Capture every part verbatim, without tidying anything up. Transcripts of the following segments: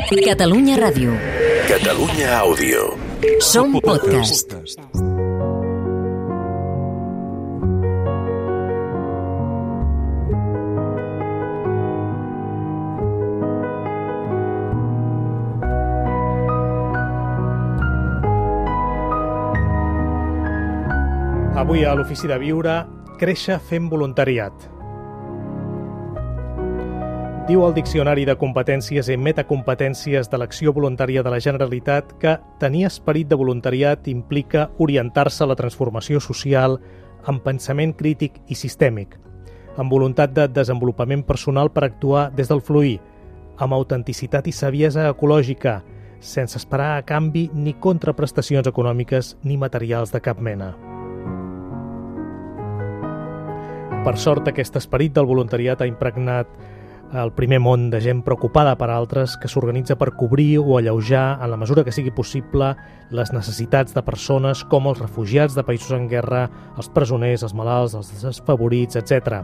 Catalunya Ràdio. Catalunya Àudio. Som podcast. Avui a l'Ofici de Viure, créixer fent voluntariat. Diu el Diccionari de Competències i Metacompetències de l'Acció Voluntària de la Generalitat que tenir esperit de voluntariat implica orientar-se a la transformació social amb pensament crític i sistèmic, amb voluntat de desenvolupament personal per actuar des del fluir, amb autenticitat i saviesa ecològica, sense esperar a canvi ni contraprestacions econòmiques ni materials de cap mena. Per sort, aquest esperit del voluntariat ha impregnat el primer món de gent preocupada per altres que s'organitza per cobrir o alleujar, en la mesura que sigui possible, les necessitats de persones com els refugiats de països en guerra, els presoners, els malalts, els desfavorits, etcètera.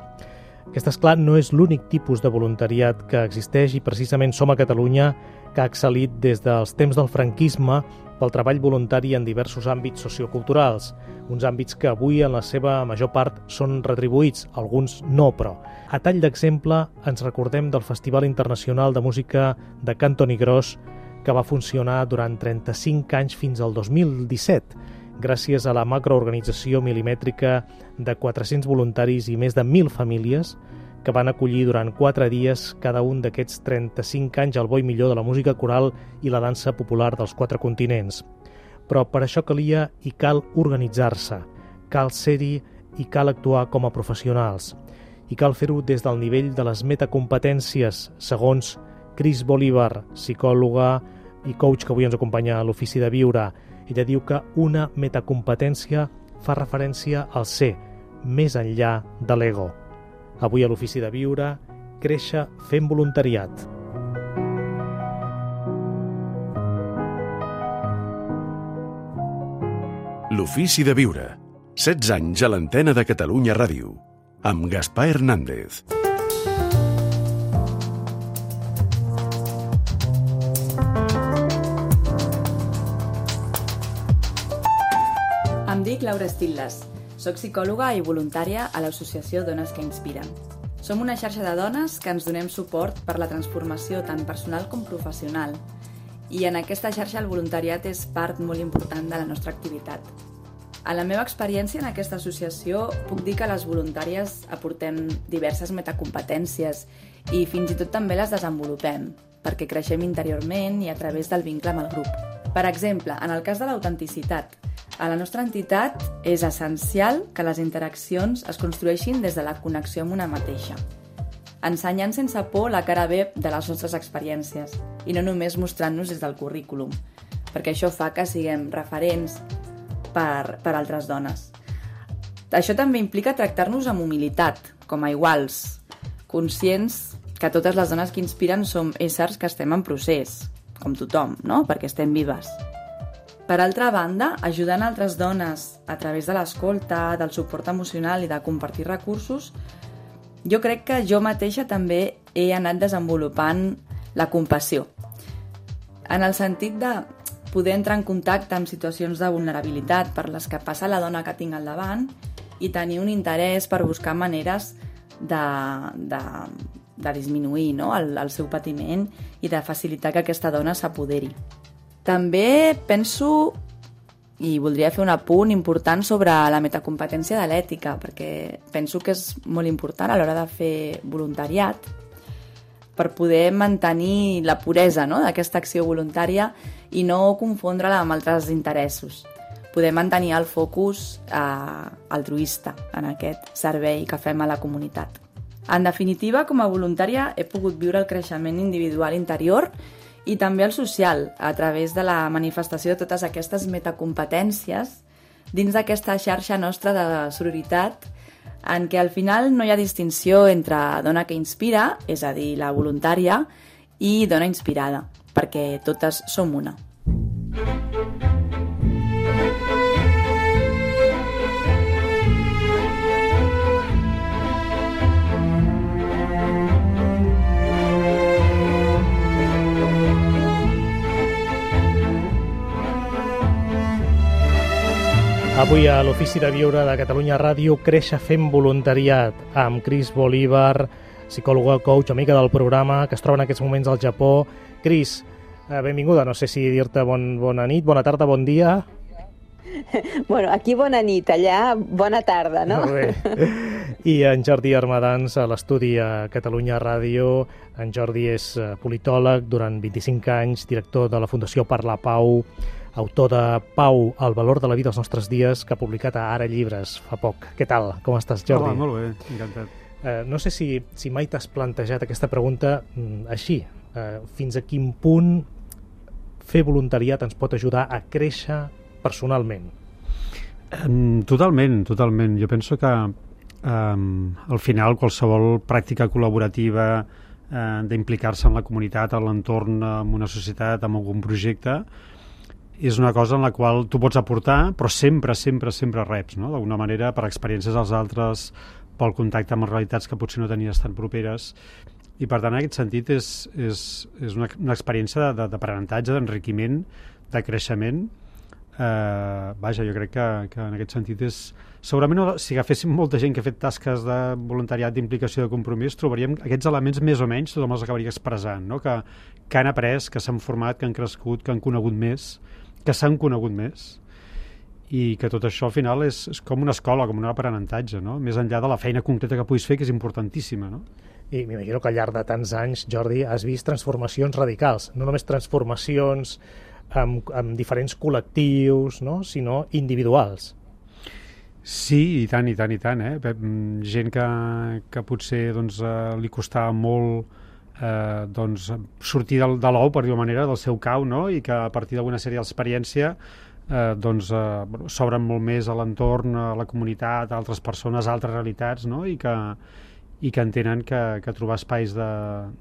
Aquest, esclar, no és l'únic tipus de voluntariat que existeix i precisament som a Catalunya que ha excel·lit des dels temps del franquisme pel treball voluntari en diversos àmbits socioculturals, uns àmbits que avui en la seva major part són retribuïts, alguns no, però. A tall d'exemple, ens recordem del Festival Internacional de Música de Cantoni Gros, que va funcionar durant trenta-cinc anys fins al dos mil disset, gràcies a la macroorganització milimètrica de quatre-cents voluntaris i més de mil famílies que van acollir durant quatre dies cada un d'aquests trenta-cinc anys el bo i millor de la música coral i la dansa popular dels quatre continents. Però per això calia i cal organitzar-se, cal ser-hi i cal actuar com a professionals. I cal fer-ho des del nivell de les metacompetències, segons Cris Bolívar, psicòloga i coach que avui ens acompanya a l'Ofici de Viure. Ella diu que una metacompetència fa referència al ser, més enllà de l'ego. Avui a l'Ofici de Viure, créixer fent voluntariat. L'Ofici de Viure. setze anys a l'antena de Catalunya Ràdio. Amb Gaspar Hernández. Em dic Laura Estil·les. Soc psicòloga i voluntària a l'associació Dones que Inspiren. Som una xarxa de dones que ens donem suport per la transformació tant personal com professional. I en aquesta xarxa el voluntariat és part molt important de la nostra activitat. A la meva experiència en aquesta associació puc dir que les voluntàries aportem diverses metacompetències i fins i tot també les desenvolupem, perquè creixem interiorment i a través del vincle amb el grup. Per exemple, en el cas de l'autenticitat, a la nostra entitat és essencial que les interaccions es construeixin des de la connexió amb una mateixa, ensenyant sense por la cara B de les nostres experiències i no només mostrant-nos des del currículum, perquè això fa que siguem referents per, per altres dones. Això també implica tractar-nos amb humilitat, com a iguals, conscients que totes les dones que inspiren som éssers que estem en procés, com tothom, no? Perquè estem vives. Per altra banda, ajudant altres dones a través de l'escolta, del suport emocional i de compartir recursos, jo crec que jo mateixa també he anat desenvolupant la compassió. En el sentit de poder entrar en contacte amb situacions de vulnerabilitat per les que passa la dona que tinc al davant i tenir un interès per buscar maneres de, de, de disminuir, no? el, el seu patiment i de facilitar que aquesta dona s'apoderi. També penso, i voldria fer un apunt important sobre la metacompetència de l'ètica, perquè penso que és molt important a l'hora de fer voluntariat per poder mantenir la puresa, no?, d'aquesta acció voluntària i no confondre-la amb altres interessos. Poder mantenir el focus eh, altruista en aquest servei que fem a la comunitat. En definitiva, com a voluntària he pogut viure el creixement individual interior i també el social, a través de la manifestació de totes aquestes metacompetències dins d'aquesta xarxa nostra de sororitat, en què al final no hi ha distinció entre dona que inspira, és a dir, la voluntària, i dona inspirada, perquè totes som una. Avui a l'Ofici de Viure de Catalunya Ràdio, Créixer fent voluntariat, amb Cris Bolívar, psicòloga, coach, amiga del programa, que es troba en aquests moments al Japó. Cris, benvinguda. No sé si dir-te bon, bona nit, bona tarda, bon dia. Bueno, aquí bona nit, allà bona tarda, no? Molt bé. I en Jordi Armadans, a l'estudi a Catalunya Ràdio. En Jordi és politòleg durant vint-i-cinc anys, director de la Fundació per la Pau, autor de Pau, el valor de la vida als nostres dies, que ha publicat a Ara Llibres fa poc. Què tal? Com estàs, Jordi? Hola, molt bé, encantat. Eh, no sé si, si mai t'has plantejat aquesta pregunta mm, així. Eh, fins a quin punt fer voluntariat ens pot ajudar a créixer personalment? Um, totalment, totalment. Jo penso que um, al final qualsevol pràctica col·laborativa uh, d'implicar-se en la comunitat, en l'entorn, en una societat, en algun projecte, és una cosa en la qual tu pots aportar, però sempre, sempre, sempre reps, no? D'alguna manera, per experiències dels altres, pel contacte amb realitats que potser no tenies tan properes. I, per tant, en aquest sentit, és, és, és una, una experiència d'aprenentatge, d'enriquiment, de creixement. Eh, vaja, jo crec que, que en aquest sentit és... Segurament, no, si agaféssim molta gent que ha fet tasques de voluntariat, d'implicació, de compromís, trobaríem aquests elements més o menys, tothom els acabaria expressant, no? que, que han après, que s'han format, que han crescut, que han conegut més, que s'han conegut més, i que tot això al final és, és com una escola, com un aprenentatge, no? Més enllà de la feina concreta que puguis fer, que és importantíssima, no? I m'imagino que al llarg de tants anys, Jordi, has vist transformacions radicals, no només transformacions amb, amb diferents col·lectius, no? Sinó individuals. Sí, i tant, i tant, i tant, eh? Gent que, que potser doncs, eh, li costava molt eh, doncs, sortir del, de l'ou, per dir-ho manera, del seu cau, no? I que a partir d'alguna sèrie d'experiència eh, doncs, eh, s'obren molt més a l'entorn, a la comunitat, a altres persones, a altres realitats, no? I que, i que entenen que, que trobar espais de,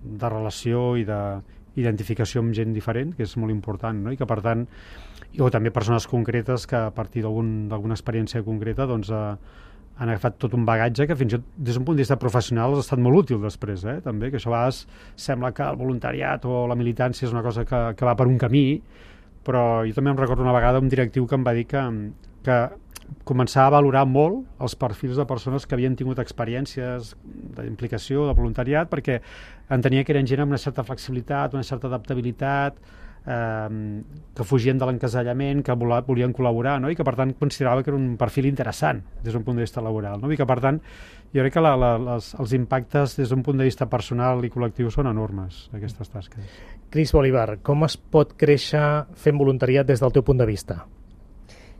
de relació i d'identificació amb gent diferent, que és molt important, no? I que per tant, o també persones concretes que a partir d'alguna experiència concreta doncs, eh, han agafat tot un bagatge que fins i tot des d'un punt de vista professional ha estat molt útil després, eh? També, que això a vegades sembla que el voluntariat o la militància és una cosa que, que va per un camí, però jo també em recordo una vegada un directiu que em va dir que, que començava a valorar molt els perfils de persones que havien tingut experiències d'implicació, de voluntariat, perquè entenia que eren gent amb una certa flexibilitat, una certa adaptabilitat, eh, que fugien de l'encasellament, que volien col·laborar, no? I que per tant considerava que era un perfil interessant des d'un punt de vista laboral, no? I que per tant jo crec que la, la, les, els impactes des d'un punt de vista personal i col·lectiu són enormes, aquestes tasques. Cris Bolívar, com es pot créixer fent voluntariat des del teu punt de vista?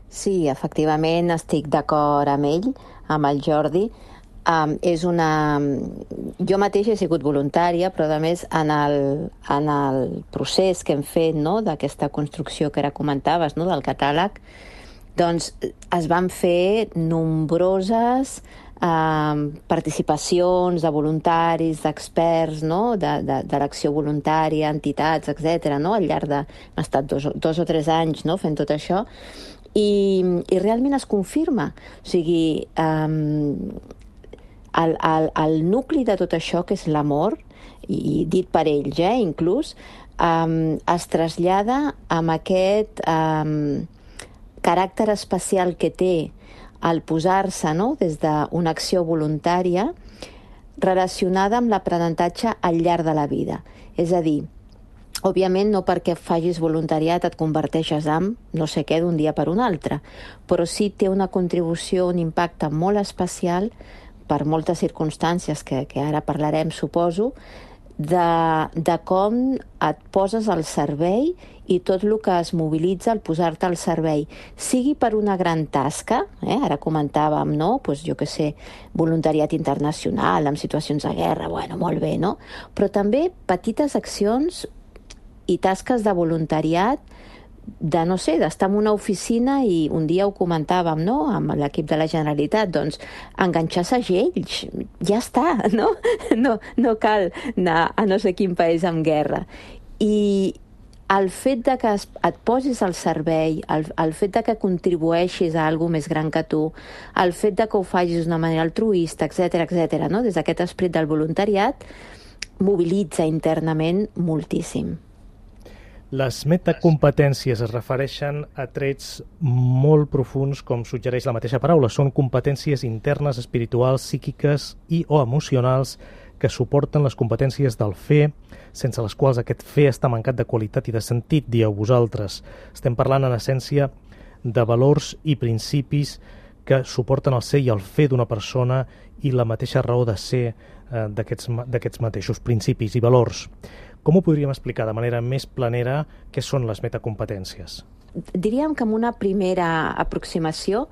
Sí, efectivament estic d'acord amb ell, amb el Jordi. Um, és una... Jo mateixa he sigut voluntària, però a més en el, en el procés que hem fet, no?, d'aquesta construcció que ara comentaves, no?, del catàleg, doncs es van fer nombroses um, participacions de voluntaris, d'experts, no?, de, de, de l'acció voluntària, entitats, etcètera, no?, al llarg de... Hem estat dos, dos o tres anys, no?, fent tot això, i, i realment es confirma. O sigui... Um, El, el, el nucli de tot això, que és l'amor, i dit per ells, eh, inclús, um, es trasllada amb aquest um, caràcter especial que té el posar-se, no?, des d'una acció voluntària relacionada amb l'aprenentatge al llarg de la vida. És a dir, òbviament no perquè facis voluntariat et converteixes en no sé què d'un dia per un altre, però sí té una contribució, un impacte molt especial per moltes circumstàncies que, que ara parlarem, suposo, de, de com et poses al servei i tot el que es mobilitza al posar-te al servei, sigui per una gran tasca, eh? Ara comentàvem, no?, pues, jo què sé, voluntariat internacional, en situacions de guerra, bueno, molt bé, no? Però també petites accions i tasques de voluntariat de, no sé, d'estar en una oficina i un dia ho comentàvem, no?, amb l'equip de la Generalitat, doncs enganxar segells, ja està, no? No, no cal anar a no sé quin país en guerra. I el fet de que et posis al servei, el, el fet de que contribueixis a alguna més gran que tu, el fet de que ho facis d'una manera altruista, etcètera, etcètera, no?, des d'aquest esperit del voluntariat, mobilitza internament moltíssim. Les metacompetències es refereixen a trets molt profuns, com suggereix la mateixa paraula. Són competències internes, espirituals, psíquiques i o emocionals que suporten les competències del fer, sense les quals aquest fer està mancat de qualitat i de sentit, dieu vosaltres. Estem parlant, en essència, de valors i principis que suporten el ser i el fer d'una persona i la mateixa raó de ser eh, d'aquests mateixos principis i valors. Com ho podríem explicar de manera més planera què són les metacompetències? Diríem que en una primera aproximació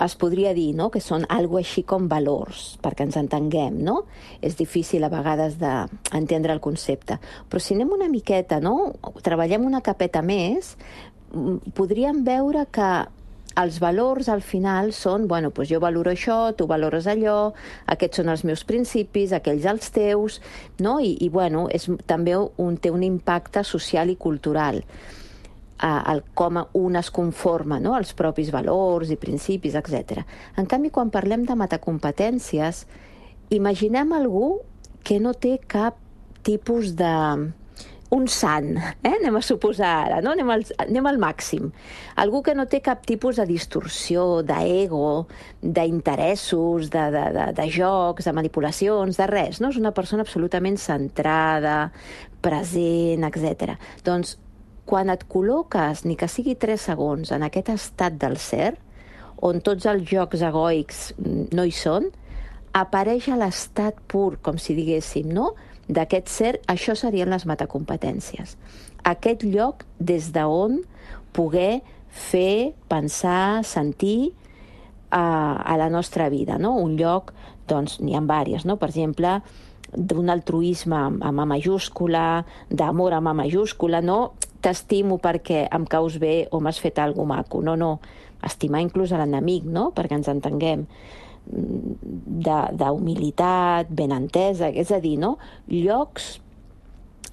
es podria dir, no?, que són algo així com valors, perquè ens entenguem, no? És difícil a vegades d'entendre el concepte. Però si anem una miqueta, no?, treballem una capeta més, podríem veure que els valors al final són, bueno, doncs jo valoro això, tu valores allò, aquests són els meus principis, aquells els teus, no? I, i bueno, és, també un, té un impacte social i cultural. El com un es conforma, no?, els propis valors i principis, etcètera. En canvi, quan parlem de metacompetències, imaginem algú que no té cap tipus de... un sant, eh? anem a suposar ara, no? anem, al, anem al màxim. Algú que no té cap tipus de distorsió, d'ego, d'interessos, de, de, de, de jocs, de manipulacions, de res, no? És una persona absolutament centrada, present, etcètera. Doncs, quan et col·loques, ni que sigui tres segons, en aquest estat del ser, on tots els jocs egoics no hi són, apareix a l'estat pur, com si diguéssim, no?, d'aquest ser, això serien les metacompetències. Aquest lloc des d'on poder fer, pensar, sentir a, a la nostra vida, no? Un lloc, doncs, n'hi ha diverses, no? Per exemple, d'un altruisme amb A majúscula, d'amor amb A majúscula, no t'estimo perquè em caus bé o m'has fet alguna cosa maco, no, no. Estimar inclús a l'enemic, no?, perquè ens entenguem. D'humilitat, ben entesa, és a dir, no? Llocs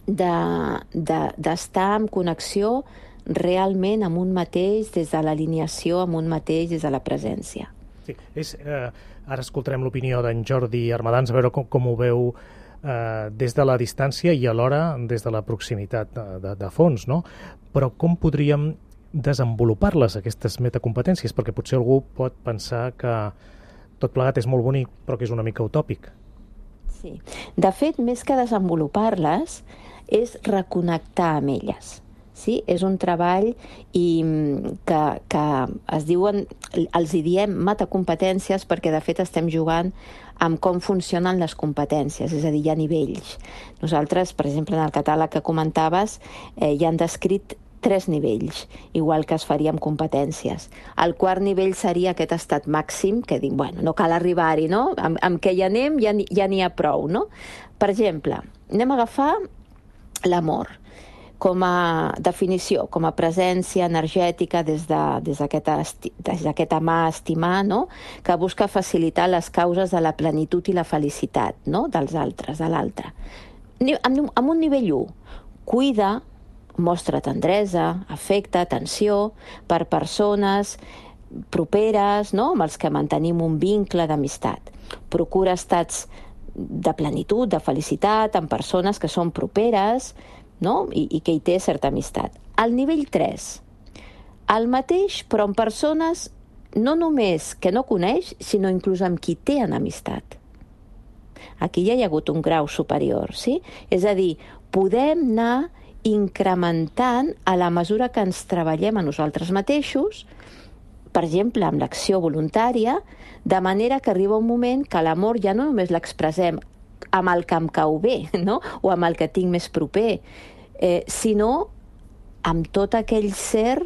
d'estar de, de, en connexió realment amb un mateix, des de l'alineació amb un mateix, des de la presència. Sí, és, eh, ara escoltarem l'opinió d'en Jordi Armadans, a veure com, com ho veu eh, des de la distància i alhora des de la proximitat de, de, de fons, no? Però com podríem desenvolupar-les, aquestes metacompetències? Perquè potser algú pot pensar que tot plegat és molt bonic, però que és una mica utòpic. Sí. De fet, més que desenvolupar-les, és reconnectar amb elles. Sí? És un treball i que, que es diuen, els hi diem metacompetències perquè de fet estem jugant amb com funcionen les competències, és a dir, hi ha nivells. Nosaltres, per exemple, en el catàleg que comentaves, eh, hi han descrit tres nivells, igual que es faria amb competències. El quart nivell seria aquest estat màxim, que dic, bueno, no cal arribar-hi, no? Amb, amb què hi anem ja n'hi ja ha prou, no? Per exemple, anem a agafar l'amor com a definició, com a presència energètica des d'aquest de, des amar, estimar, no? Que busca facilitar les causes de la plenitud i la felicitat, no? Dels altres, de l'altre. Amb, amb un nivell u, cuida, mostra tendresa, afecte, atenció per persones properes, no?, amb els que mantenim un vincle d'amistat. Procura estats de plenitud, de felicitat, amb persones que són properes, no?, i, i que hi té certa amistat. Al nivell tres, el mateix, però amb persones no només que no coneix, sinó inclús amb qui té en amistat. Aquí ja hi ha hagut un grau superior, sí? És a dir, podem anar incrementant a la mesura que ens treballem a nosaltres mateixos, per exemple, amb l'acció voluntària, de manera que arriba un moment que l'amor ja no només l'expressem amb el que em cau bé, no?, o amb el que tinc més proper, eh, sinó amb tot aquell ser,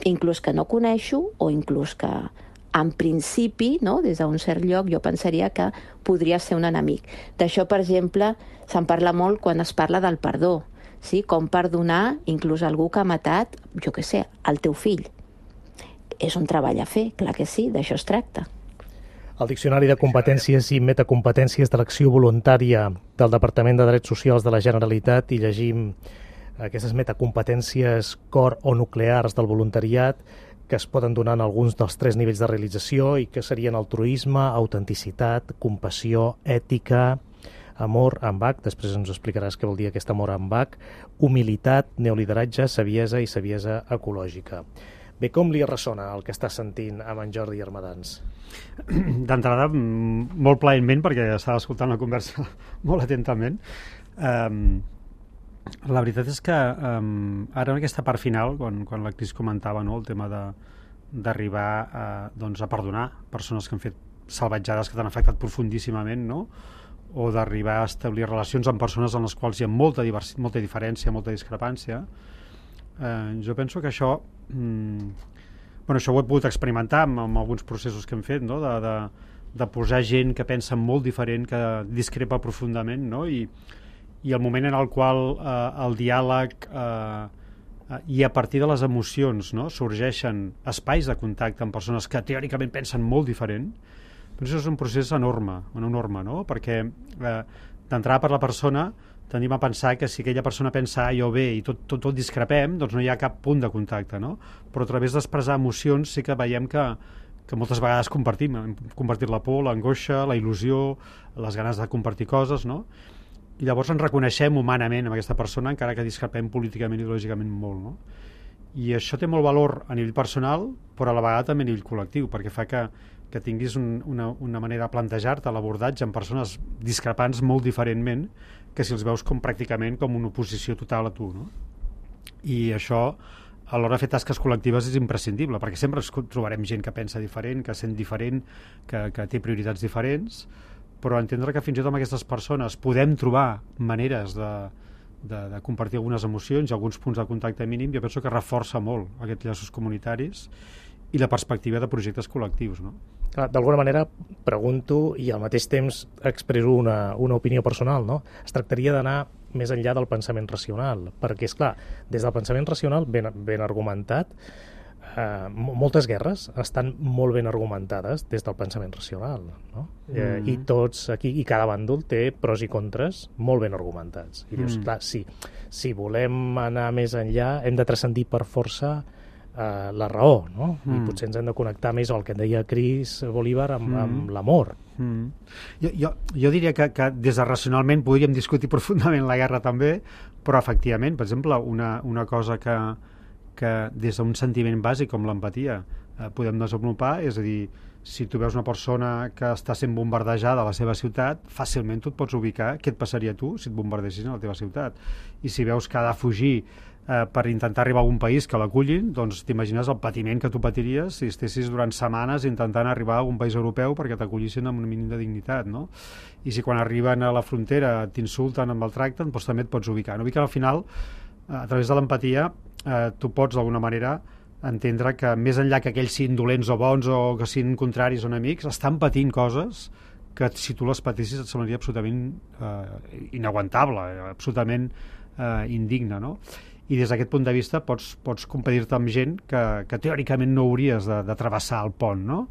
inclús que no coneixo, o inclús que, en principi, no?, des d'un cert lloc, jo pensaria que podria ser un enemic. D'això, per exemple, se'n parla molt quan es parla del perdó. Sí, com perdonar inclús algú que ha matat, jo què sé, el teu fill. És un treball a fer, clar que sí, d'això es tracta. Al Diccionari de Competències i Metacompetències de l'Acció Voluntària del Departament de Drets Socials de la Generalitat hi llegim aquestes metacompetències core o nuclears del voluntariat que es poden donar en alguns dels tres nivells de realització i que serien altruisme, autenticitat, compassió, ètica, amor amb H, després ens explicaràs què vol dir aquest amor amb H, humilitat, neolideratge, saviesa i saviesa ecològica. Bé, com li ressona el que està sentint amb en Jordi Armadans? D'entrada, molt plaentment, perquè estava escoltant la conversa molt atentament. Um, la veritat és que um, ara en aquesta part final, quan, quan la Cris comentava, no, el tema de, d'arribar a, doncs, a perdonar persones que han fet salvatjades que t'han afectat profundíssimament, no? O d'arribar a establir relacions amb persones en les quals hi ha molta, divers, molta diferència, molta discrepància, eh, jo penso que això... Mm, bueno, això ho he pogut experimentar amb, amb alguns processos que hem fet, no? de, de, de posar gent que pensa molt diferent, que discrepa profundament, no? I, i el moment en el qual eh, el diàleg eh, eh, i a partir de les emocions, no, sorgeixen espais de contacte amb persones que teòricament pensen molt diferent, però això és un procés enorme, enorme, no? Perquè eh, d'entrada per la persona tenim a pensar que si aquella persona pensa A i o B i tot, tot, tot discrepem, doncs no hi ha cap punt de contacte, no? Però a través d'expressar emocions sí que veiem que, que moltes vegades compartim, hem compartit la por, l'angoixa, la il·lusió, les ganes de compartir coses, no? I llavors ens reconeixem humanament amb aquesta persona, encara que discrepem políticament i ideològicament molt, no? I això té molt valor a nivell personal, però a la vegada també a nivell col·lectiu, perquè fa que, que tinguis un, una, una manera de plantejar-te l'abordatge amb persones discrepants molt diferentment que si els veus com pràcticament com una oposició total a tu, no? I això, a l'hora de fer tasques col·lectives, és imprescindible, perquè sempre trobarem gent que pensa diferent, que sent diferent, que, que té prioritats diferents, però entendre que fins i tot amb aquestes persones podem trobar maneres de, de, de compartir algunes emocions i alguns punts de contacte mínim, jo penso que reforça molt aquests llaços comunitaris i la perspectiva de projectes col·lectius, no? D'alguna manera pregunto i al mateix temps expresso una, una opinió personal, no? Es tractaria d'anar més enllà del pensament racional, perquè, és clar, des del pensament racional ben, ben argumentat, eh, moltes guerres estan molt ben argumentades des del pensament racional, no? Mm. Eh, I tots aquí, i cada bàndol té pros i contres molt ben argumentats. I dius, mm. clar, sí, si volem anar més enllà hem de transcendir per força Uh, la raó, no? Mm. I potser ens hem de connectar més al que en deia Chris Bolívar amb, mm. amb l'amor. Mm. Jo, jo, jo diria que, que des de racionalment podríem discutir profundament la guerra també, però efectivament, per exemple, una, una cosa que, que des d'un sentiment bàsic com l'empatia eh, podem desenvolupar, és a dir, si tu veus una persona que està sent bombardejada a la seva ciutat, fàcilment tu et pots ubicar què et passaria a tu si et bombardessin a la teva ciutat. I si veus que ha de fugir eh, per intentar arribar a un país que l'acullin, doncs t'imagines el patiment que tu patiries si estessis durant setmanes intentant arribar a un país europeu perquè t'acollissin amb un mínim de dignitat, no? I si quan arriben a la frontera t'insulten amb el tracte, doncs també et pots ubicar. No? Ubicar al final, eh, a través de l'empatia, eh, tu pots d'alguna manera entendre que més enllà que aquells siguin dolents o bons o que siguin contraris o enemics, estan patint coses que si tu les patissis et semblaria absolutament eh, inaguantable, absolutament eh, indigne, no? I des d'aquest punt de vista pots, pots competir-te amb gent que, que teòricament no hauries de, de travessar el pont, no?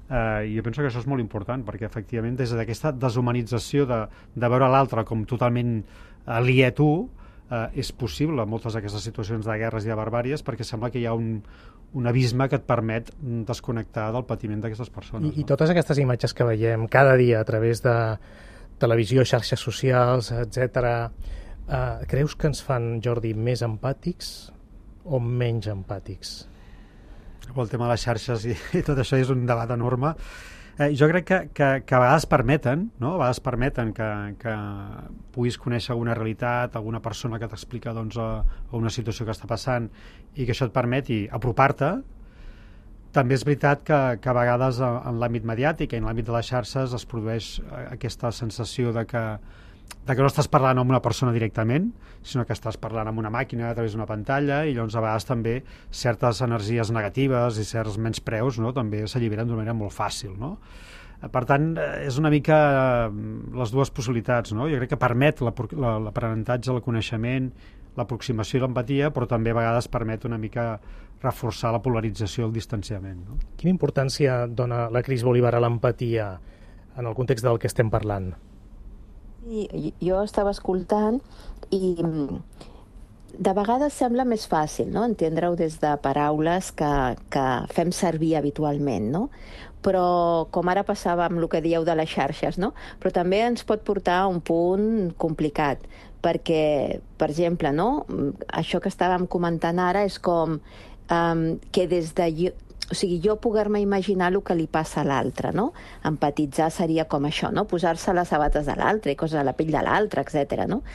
Eh, I jo penso que això és molt important, perquè efectivament des d'aquesta deshumanització de, de veure l'altre com totalment aliè a tu, eh, és possible moltes d'aquestes situacions de guerres i de barbàries, perquè sembla que hi ha un, un abisme que et permet desconnectar del patiment d'aquestes persones. I, no? I totes aquestes imatges que veiem cada dia a través de televisió, xarxes socials, etcètera, eh, creus que ens fan, Jordi, més empàtics o menys empàtics? El tema de les xarxes i, i tot això és un debat enorme. Eh, jo crec que, que, que a vegades permeten, no? A vegades permeten que, que puguis conèixer alguna realitat, alguna persona que t'explica doncs, a, a una situació que està passant i que això et permeti apropar-te. També és veritat que, que a vegades en l'àmbit mediàtic i en l'àmbit de les xarxes es produeix aquesta sensació de que, de que no estàs parlant amb una persona directament, sinó que estàs parlant amb una màquina a través d'una pantalla, i llavors a vegades també certes energies negatives i certs menyspreus, no? També s'alliberen d'una manera molt fàcil, no? Per tant, és una mica les dues possibilitats, no? Jo crec que permet l'aprenentatge, el coneixement, l'aproximació i l'empatia, però també a vegades permet una mica reforçar la polarització i el distanciament, no? Quina importància dona la Cris Bolívar a l'empatia en el context del que estem parlant? Sí, jo estava escoltant i de vegades sembla més fàcil, no?, entendre-ho des de paraules que, que fem servir habitualment, no? Però, com ara passava amb el que dieu de les xarxes, no? Però també ens pot portar a un punt complicat, perquè, per exemple, no?, això que estàvem comentant ara és com um, que des de... Jo, o sigui, jo poder-me imaginar el que li passa a l'altre, no? Empatitzar seria com això, no? Posar-se les sabates de l'altre i coses a la pell de l'altre, etcètera, no?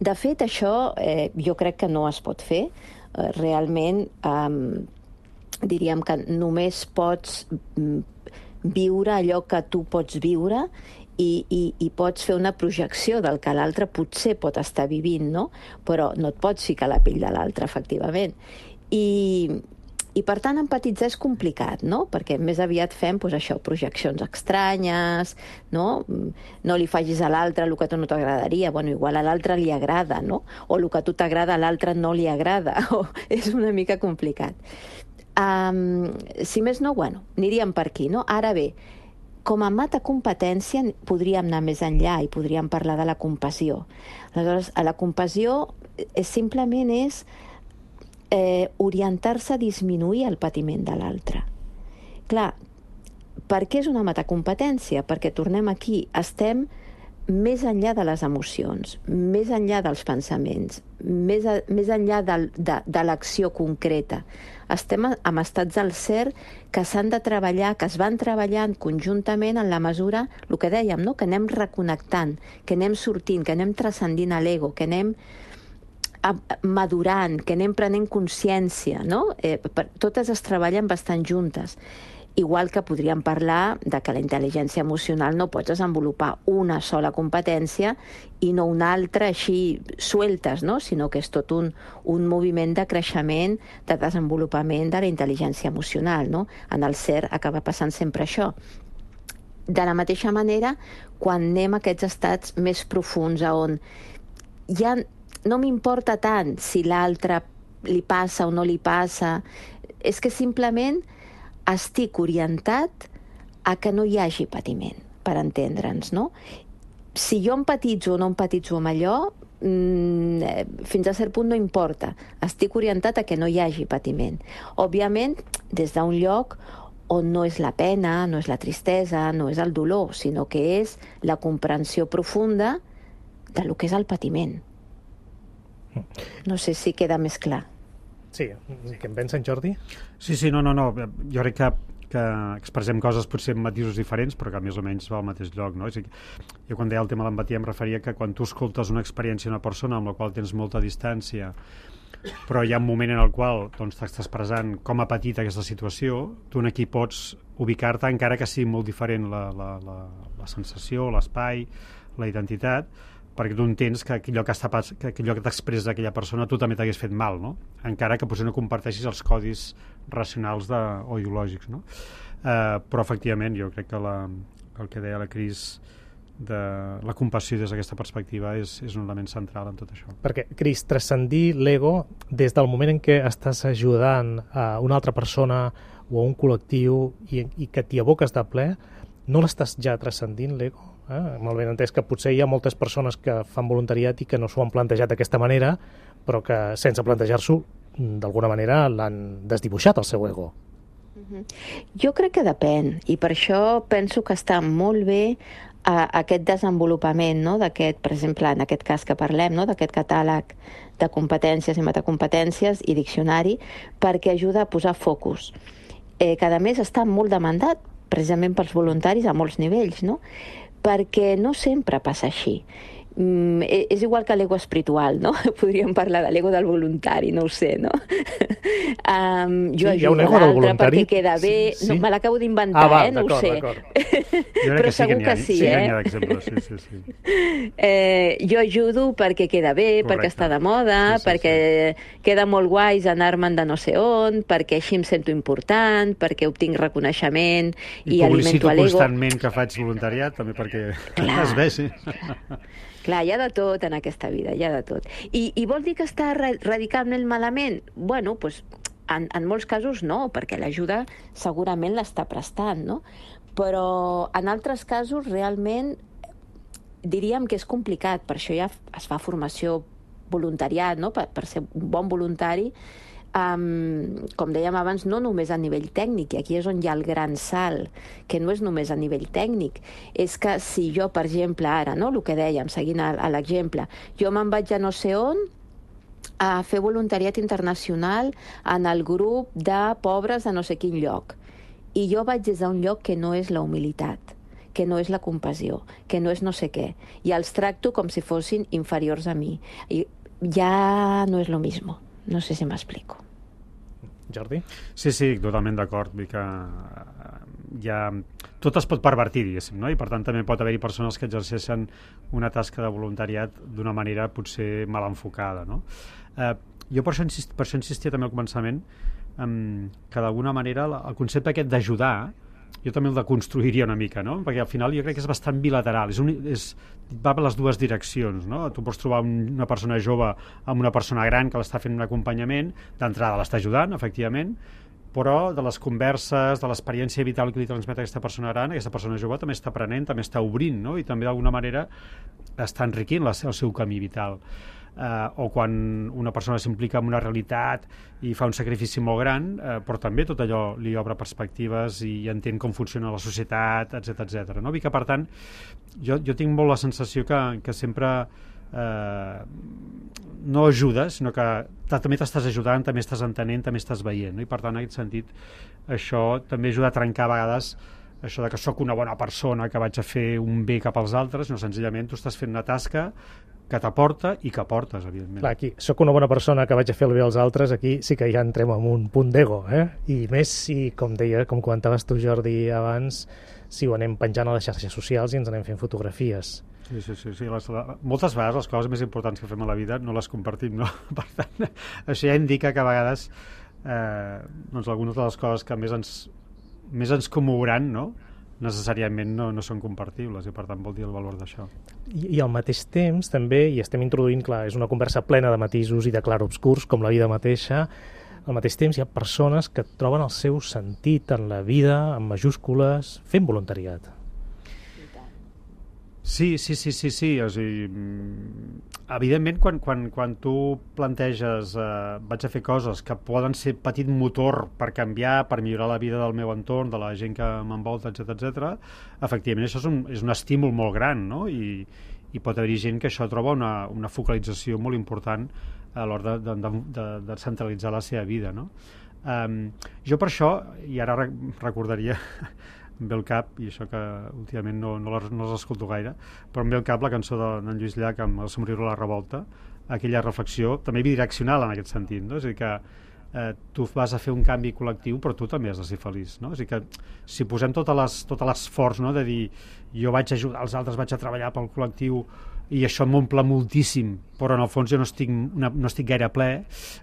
De fet, això eh, jo crec que no es pot fer. Eh, realment, eh, diríem que només pots viure allò que tu pots viure i, i, i pots fer una projecció del que l'altre potser pot estar vivint, no? Però no et pots ficar a la pell de l'altre, efectivament. I... I, per tant, empatitzar és complicat, no? Perquè més aviat fem, doncs, això, projeccions estranyes, no? No li facis a l'altre el que a tu no t'agradaria. Bueno, igual a l'altre li agrada, no? O el que a tu t'agrada a l'altre no li agrada. O és una mica complicat. Um, si més no, bueno, aniríem per aquí, no? Ara bé, com a metacompetència podríem anar més enllà i podríem parlar de la compassió. Aleshores, a la compassió és, simplement és Eh, orientar-se a disminuir el patiment de l'altre. Clar, per què és una metacompetència? Perquè, tornem aquí, estem més enllà de les emocions, més enllà dels pensaments, més, a, més enllà de, de, de l'acció concreta. Estem en estats del ser que s'han de treballar, que es van treballant conjuntament en la mesura, el que dèiem, no? Que anem reconnectant, que anem sortint, que anem transcendint a l'ego, que anem madurant, que anem prenent consciència, no? Eh, per, totes es treballen bastant juntes. Igual que podríem parlar de que la intel·ligència emocional no pots desenvolupar una sola competència i no una altra així sueltes, no? Sinó que és tot un, un moviment de creixement, de desenvolupament de la intel·ligència emocional, no? En el ser acaba passant sempre això. De la mateixa manera, quan anem a aquests estats més profunds, on ja no m'importa tant si l'altre li passa o no li passa, és que simplement estic orientat a que no hi hagi patiment, per entendre'ns, no? Si jo empatitzo o no empatitzo amb allò, mmm, fins a cert punt no importa. Estic orientat a que no hi hagi patiment. Òbviament, des d'un lloc on no és la pena, no és la tristesa, no és el dolor, sinó que és la comprensió profunda de lo que és el patiment. No sé si queda més clar. Sí, què en pensa en Jordi? Sí, sí, no, no, no. Jo crec que, que expressem coses potser amb matisos diferents, però que més o menys va al mateix lloc, no? És a dir, jo quan deia el tema de l'empatia em referia que quan tu escoltes una experiència d'una persona amb la qual tens molta distància, però hi ha un moment en el qual doncs, t'estàs expressant com ha patit aquesta situació, tu aquí pots ubicar-te, encara que sigui molt diferent la, la, la, la sensació, l'espai, la identitat, perquè tu entens que allò que, està, que allò que t'expressa aquella persona tu també t'hagués fet mal, no? Encara que potser no comparteixis els codis racionals de, o ideològics, no? Uh, però efectivament jo crec que la, el que deia la Cris de la compassió des d'aquesta perspectiva és, és un element central en tot això. Perquè, Cris, transcendir l'ego des del moment en què estàs ajudant a una altra persona o a un col·lectiu i, i que t'hi aboques de ple, no l'estàs ja transcendint l'ego? Eh? Molt ben entès que potser hi ha moltes persones que fan voluntariat i que no s'ho han plantejat d'aquesta manera, però que sense plantejar-s'ho d'alguna manera l'han desdibuixat el seu ego. Jo crec que depèn, i per això penso que està molt bé a aquest desenvolupament, no? D'aquest, per exemple, en aquest cas que parlem, no? D'aquest catàleg de competències i metacompetències i diccionari, perquè ajuda a posar focus. Eh, que a més està molt demandat precisament pels voluntaris a molts nivells, no? Perquè no sempre passa així. Mm, és igual que l'ego espiritual, no? Podríem parlar de l'ego del voluntari, no ho sé, no? um, jo sí, ajudo a l'altre perquè queda bé... Sí, sí. No, me l'acabo d'inventar, ah, va, eh? No ho sé. Però que segur sí que, que sí, sí, eh? Sí, d'exemples, sí, sí, sí. Eh, jo ajudo perquè queda bé, correcte, perquè està de moda, sí, sí, perquè sí. Queda molt guais anar-me'n de no sé on, perquè així em sento important, perquè obtinc reconeixement i, i alimento l'ego. I publicito constantment que faig voluntariat, també perquè clar, es vegi. Clar. Clar, hi ha de tot en aquesta vida, hi ha de tot. I, i vol dir que està radicalment malament? Bueno, doncs, en, en molts casos no, perquè l'ajuda segurament l'està prestant, no? Però en altres casos realment diríem que és complicat, per això ja es fa formació voluntariat, no? per, per ser un bon voluntari, Um, com dèiem abans, no només a nivell tècnic, i aquí és on hi ha el gran salt, que no és només a nivell tècnic, és que si jo, per exemple, ara, no, el que dèiem, seguint a, a l'exemple, jo me'n vaig a no sé on a fer voluntariat internacional en el grup de pobres de no sé quin lloc, i jo vaig des d'un lloc que no és la humilitat, que no és la compassió, que no és no sé què, i els tracto com si fossin inferiors a mi, i ja no és lo mismo. No sé si m'explico. Jordi? Sí, sí, totalment d'acord. Vull que ja... tot es pot pervertir, diguéssim, no? I per tant també pot haver-hi persones que exerceixen una tasca de voluntariat d'una manera potser mal enfocada, no? Eh, jo per això, insist, per això insistia també al començament eh, que d'alguna manera el concepte aquest d'ajudar jo també el deconstruiria una mica, no? Perquè al final jo crec que és bastant bilateral, és un, és, va per les dues direccions, no? Tu pots trobar un, una persona jove amb una persona gran que l'està fent un acompanyament, d'entrada l'està ajudant, efectivament, però de les converses, de l'experiència vital que li transmet aquesta persona gran, aquesta persona jove també està aprenent, també està obrint, no? I també d'alguna manera està enriquint la, el seu camí vital. Uh, o quan una persona s'implica en una realitat i fa un sacrifici molt gran, uh, però també tot allò li obre perspectives i entén com funciona la societat, etcètera etcètera. No? I que, per tant, jo, jo tinc molt la sensació que, que sempre uh, no ajudes, sinó que també t'estàs ajudant, també estàs entenent, també estàs veient. No? I, per tant, en aquest sentit, això també ajuda a trencar a vegades això de que sóc una bona persona, que vaig a fer un bé cap als altres, no, senzillament tu estàs fent una tasca que t'aporta i que aportes, evidentment. Clar, aquí, soc una bona persona que vaig a fer el bé als altres, aquí sí que ja entrem en un punt d'ego, eh? I més si, com deia, com comentaves tu, Jordi, abans, si ho anem penjant a les xarxes socials i ens anem fent fotografies. Sí, sí, sí. sí. Les, la, moltes vegades les coses més importants que fem a la vida no les compartim, no? Per tant, això ja indica que a vegades eh, doncs algunes de les coses que més ens, més ens commouran, no? necessàriament no, no són compartibles i per tant vol dir el valor d'això. I, I al mateix temps també, i estem introduint, clar, és una conversa plena de matisos i de clarobscurs com la vida mateixa, al mateix temps hi ha persones que troben el seu sentit en la vida, en majúscules, fent voluntariat. Sí, sí, sí, sí, sí. O sigui, evidentment, quan, quan, quan tu planteges eh, vaig a fer coses que poden ser petit motor per canviar, per millorar la vida del meu entorn, de la gent que m'envolta, etcètera, etcètera, efectivament això és un, és un estímul molt gran, no? I, i pot haver-hi gent que això troba una, una focalització molt important a l'hora de, de, de, de centralitzar la seva vida, no? Um, jo per això, i ara recordaria em ve al cap, i això que últimament no, no, les, no les escolto gaire, però em ve al cap la cançó d'en Lluís Llach amb El somriure a la revolta, aquella reflexió també bidireccional en aquest sentit, no? És a dir que eh, tu vas a fer un canvi col·lectiu però tu també has de ser feliç, no? És a dir que si posem tot l'esforç, no? De dir jo vaig ajudar els altres, vaig a treballar pel col·lectiu i això m'omple moltíssim, però en el fons jo no estic, una, no estic gaire ple,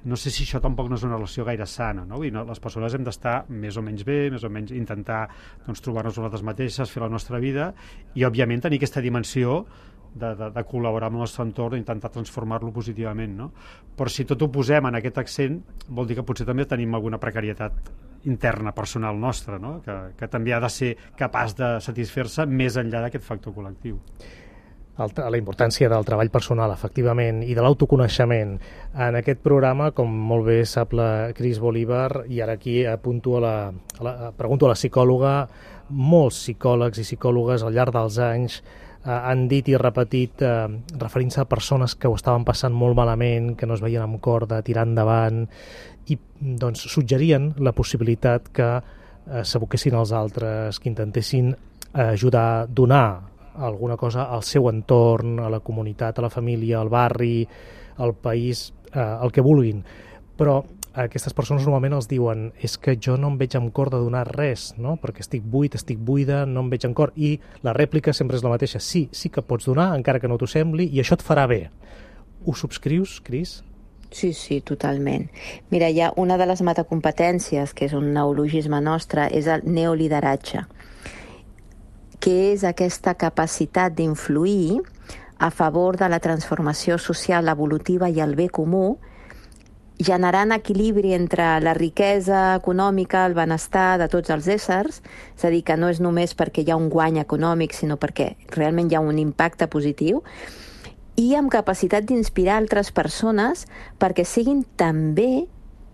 no sé si això tampoc no és una relació gaire sana, no? I no, les persones hem d'estar més o menys bé, més o menys intentar doncs, trobar-nos nosaltres mateixes, fer la nostra vida i, òbviament, tenir aquesta dimensió de, de, de col·laborar amb el nostre entorn i intentar transformar-lo positivament, no? Però si tot ho posem en aquest accent, vol dir que potser també tenim alguna precarietat interna, personal nostra, no? Que, que també ha de ser capaç de satisfer-se més enllà d'aquest factor col·lectiu. El, la importància del treball personal, efectivament, i de l'autoconeixement. En aquest programa, com molt bé sap la Cris Bolívar, i ara aquí apunto a la, a la, pregunto a la psicòloga, molts psicòlegs i psicòlogues al llarg dels anys eh, han dit i repetit, eh, referint-se a persones que ho estaven passant molt malament, que no es veien amb cor de tirar endavant, i doncs suggerien la possibilitat que eh, s'aboquessin als altres, que intentessin eh, ajudar, donar alguna cosa al seu entorn, a la comunitat, a la família, al barri, al país, eh, el que vulguin. Però aquestes persones normalment els diuen és que jo no em veig amb cor de donar res, no? Perquè estic buit, estic buida, no em veig amb cor. I la rèplica sempre és la mateixa. Sí, sí que pots donar, encara que no t'ho sembli, i això et farà bé. Ho subscrius, Cris? Sí, sí, totalment. Mira, hi ha una de les metacompetències, que és un neologisme nostre, és el neolideratge, que és aquesta capacitat d'influir a favor de la transformació social evolutiva i el bé comú, generant equilibri entre la riquesa econòmica, el benestar de tots els éssers, és a dir, que no és només perquè hi ha un guany econòmic, sinó perquè realment hi ha un impacte positiu, i amb capacitat d'inspirar altres persones perquè siguin també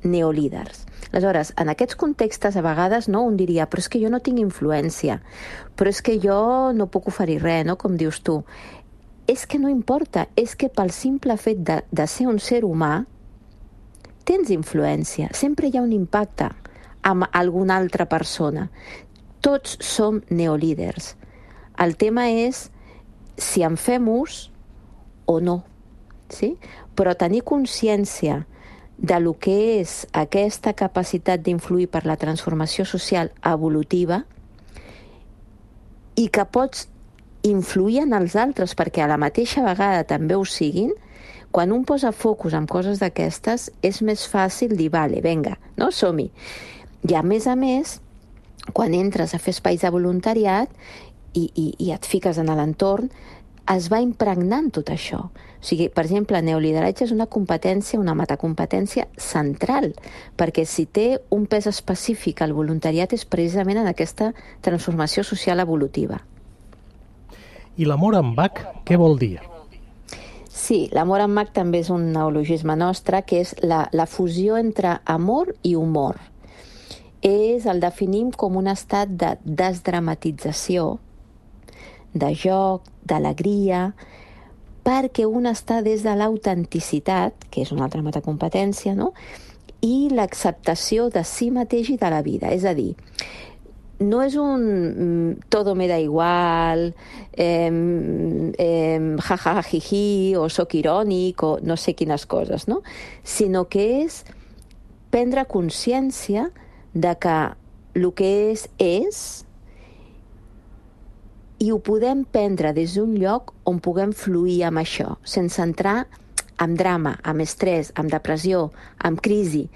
neolíders. Aleshores, en aquests contextes, a vegades, no, un diria, però és que jo no tinc influència, però és que jo no puc oferir res, no?, com dius tu. És que no importa, és que pel simple fet de, de ser un ser humà, tens influència, sempre hi ha un impacte amb alguna altra persona. Tots som neolíders. El tema és si en fem ús o no, sí? Però tenir consciència de lo que és aquesta capacitat d'influir per la transformació social evolutiva i que pots influir en els altres perquè a la mateixa vegada també ho siguin, quan un posa focus en coses d'aquestes és més fàcil dir, vale, venga, no, som-hi. I a més a més, quan entres a fer espais de voluntariat i, i, i et fiques en l'entorn, es va impregnant tot això. O sigui, per exemple, el neolideratge és una competència, una metacompetència central, perquè si té un pes específic al voluntariat és precisament en aquesta transformació social evolutiva. I l'amor en Bach, què vol dir? Sí, l'amor en Bach també és un neologisme nostre, que és la, la fusió entre amor i humor. És, el definim com un estat de desdramatització, de joc, d'alegria, perquè un està des de l'autenticitat, que és una altra metacompetència, no?, i l'acceptació de si mateix i de la vida. És a dir, no és un mm, todo me da igual, eh, eh, jajajiji, o soc irònic, o no sé quines coses, no?, sinó que és prendre consciència de que el que és, és, i ho podem prendre des d'un lloc on puguem fluir amb això, sense entrar en drama, amb estrès, amb depressió, amb crisi.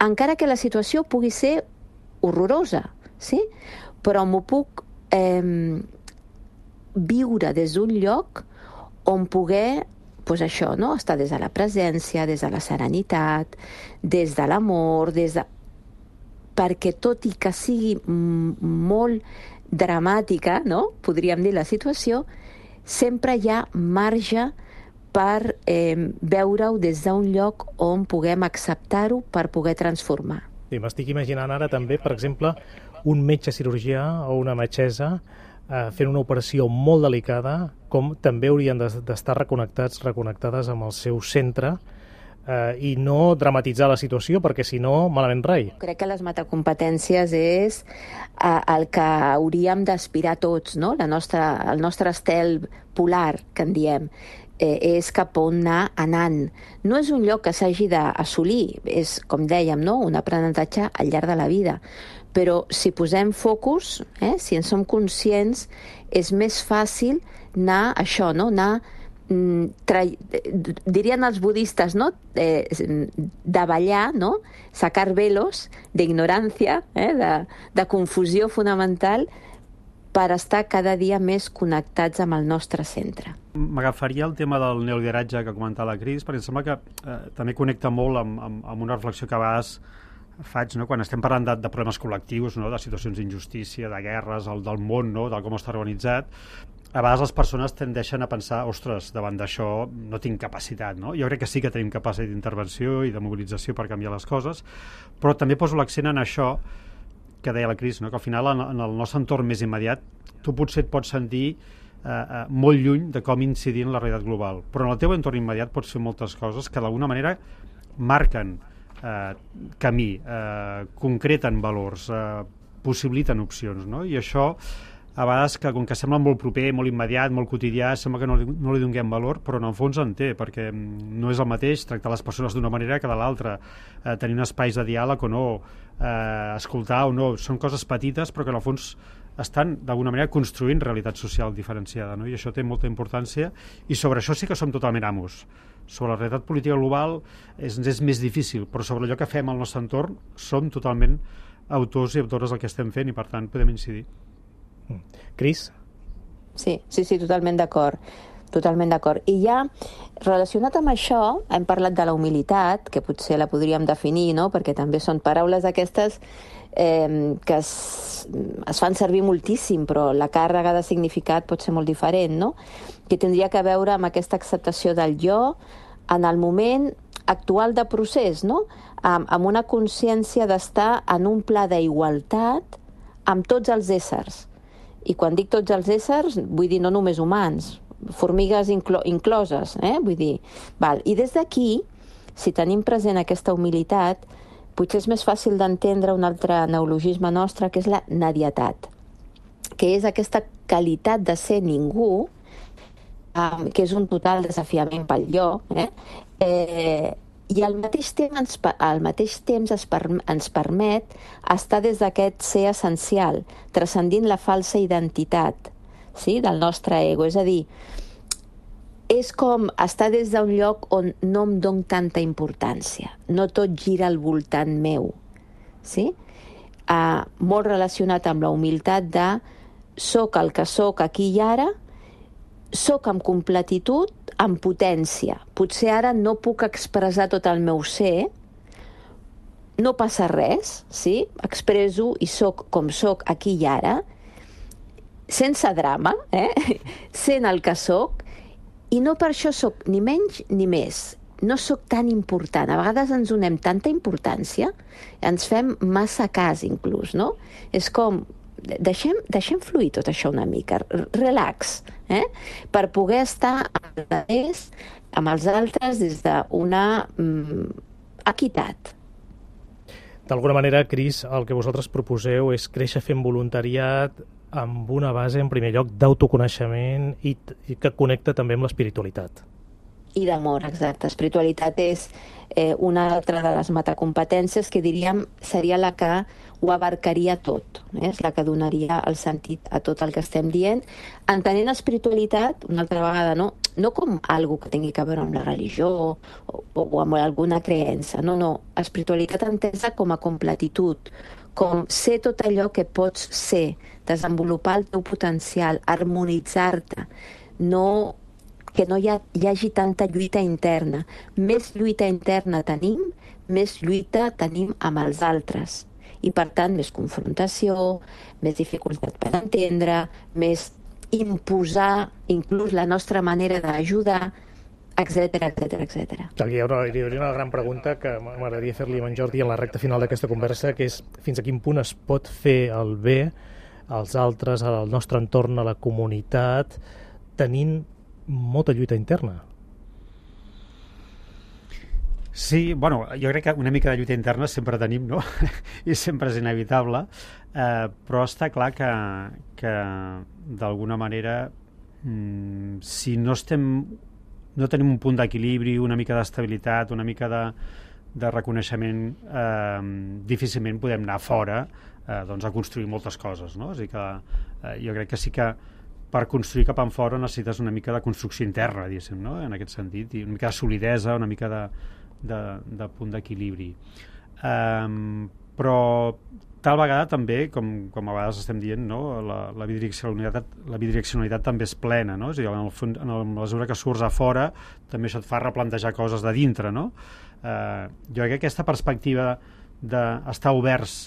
Encara que la situació pugui ser horrorosa, sí? Però m'ho puc eh, viure des d'un lloc on poder, pues això, no? Estar des de la presència, des de la serenitat, des de l'amor, des de... perquè tot i que sigui molt dramàtica, no?, podríem dir la situació, sempre hi ha marge per eh, veure-ho des d'un lloc on puguem acceptar-ho per poder transformar. Sí, m'estic imaginant ara també, per exemple, un metge cirurgià o una metgessa eh, fent una operació molt delicada, com també haurien d'estar reconnectats, reconnectades amb el seu centre, eh, i no dramatitzar la situació, perquè si no, malament rai. Crec que les metacompetències és eh, el que hauríem d'aspirar tots, no? La nostra, el nostre estel polar, que en diem, eh, és cap on anar anant. No és un lloc que s'hagi d'assolir, és, com dèiem, no? Un aprenentatge al llarg de la vida. Però si posem focus, eh, si en som conscients, és més fàcil anar això, no? Anar Tra... dirien els budistes, no? Eh, davallar, no? Sacar velos d'ignorància, eh? de, de confusió fonamental, per estar cada dia més connectats amb el nostre centre. M'agafaria el tema del neolideratge que ha comentat la Cris, perquè em sembla que eh, també connecta molt amb, amb, amb una reflexió que a vegades faig, no? Quan estem parlant de, de problemes col·lectius, no? De situacions d'injustícia, de guerres, el, del món, no? Del com està organitzat. A vegades les persones tendeixen a pensar, ostres, davant d'això no tinc capacitat, no? Jo crec que sí que tenim capacitat d'intervenció i de mobilització per canviar les coses, però també poso l'accent en això que deia la Cris, no? Que al final en, en el nostre entorn més immediat tu potser et pots sentir eh, eh, molt lluny de com incidir en la realitat global, però en el teu entorn immediat pots fer moltes coses que d'alguna manera marquen eh, camí, eh, concreten valors, eh, possibiliten opcions, no? I això a vegades, que com que sembla molt proper, molt immediat, molt quotidià, sembla que no li, no li donem valor, però en el fons en té, perquè no és el mateix tractar les persones d'una manera que de l'altra, eh, tenir un espais de diàleg o no, eh, escoltar o no, són coses petites, però que en el fons estan d'alguna manera construint realitat social diferenciada, no? I això té molta importància, i sobre això sí que som totalment amos. Sobre la realitat política global és, és més difícil, però sobre allò que fem al nostre entorn som totalment autors i autores del que estem fent i per tant podem incidir. Cris? Sí, sí, sí, totalment d'acord. Totalment d'acord. I ja, relacionat amb això, hem parlat de la humilitat, que potser la podríem definir, no? Perquè també són paraules aquestes eh, que es, es fan servir moltíssim, però la càrrega de significat pot ser molt diferent, no? Que tindria que veure amb aquesta acceptació del jo en el moment actual de procés, no? Amb, amb una consciència d'estar en un pla d'igualtat amb tots els éssers. I quan dic tots els éssers, vull dir no només humans, formigues inclo incloses, eh? Vull dir, val. I des d'aquí, si tenim present aquesta humilitat, potser és més fàcil d'entendre un altre neologisme nostre, que és la nadietat, que és aquesta qualitat de ser ningú, um, que és un total desafiament pel jo, eh? Eh, i al mateix temps ens, al mateix temps es per, ens permet estar des d'aquest ser essencial, transcendint la falsa identitat, sí, del nostre ego. És a dir, és com estar des d'un lloc on no em dono tanta importància, no tot gira al voltant meu, sí? Uh, molt relacionat amb la humilitat de soc el que soc aquí i ara, soc amb completitud, amb potència. Potser ara no puc expressar tot el meu ser, no passa res, sí? Expresso i soc com soc aquí i ara, sense drama, eh? Sent el que soc, i no per això soc ni menys ni més. No soc tan important. A vegades ens donem tanta importància, ens fem massa cas inclús, no? És com, deixem, deixem fluir tot això una mica, relax, eh? Per poder estar amb els, amb els altres des d'una mm, equitat. D'alguna manera, Cris, el que vosaltres proposeu és créixer fent voluntariat amb una base, en primer lloc, d'autoconeixement i, i que connecta també amb l'espiritualitat. I d'amor, exacte. Espiritualitat és eh, una altra de les metacompetències que diríem seria la que ho abarcaria tot, eh? És la que donaria el sentit a tot el que estem dient, entenent espiritualitat, una altra vegada, no, no com algo que tingui que veure amb la religió o, o amb alguna creença, no, no, espiritualitat entesa com a completitud, com ser tot allò que pots ser, desenvolupar el teu potencial, harmonitzar-te, no, que no hi, ha, hi hagi tanta lluita interna. Més lluita interna tenim, més lluita tenim amb els altres. I per tant, més confrontació, més dificultat per entendre, més imposar inclús la nostra manera d'ajudar, etcètera, etcètera, etcètera. Hi ha una, hi hauria una gran pregunta que m'agradaria fer-li a en Jordi en la recta final d'aquesta conversa, que és fins a quin punt es pot fer el bé als altres, al nostre entorn, a la comunitat, tenint molta lluita interna. Sí, bueno, jo crec que una mica de lluita interna sempre tenim, no? I sempre és inevitable, eh, però està clar que, que d'alguna manera, mm, si no estem no tenim un punt d'equilibri, una mica d'estabilitat, una mica de, de reconeixement, eh, difícilment podem anar fora eh, doncs a construir moltes coses, no? És a dir que eh, jo crec que sí que per construir cap enfora necessites una mica de construcció interna, diguéssim, no? En aquest sentit, i una mica de solidesa, una mica de, de, de punt d'equilibri. Um, però tal vegada també, com, com a vegades estem dient, no? la, la, bidireccionalitat, la bidireccionalitat també és plena, no? És a dir, en, el fons, en la mesura que surts a fora també això et fa replantejar coses de dintre, no? Uh, jo crec que aquesta perspectiva d'estar oberts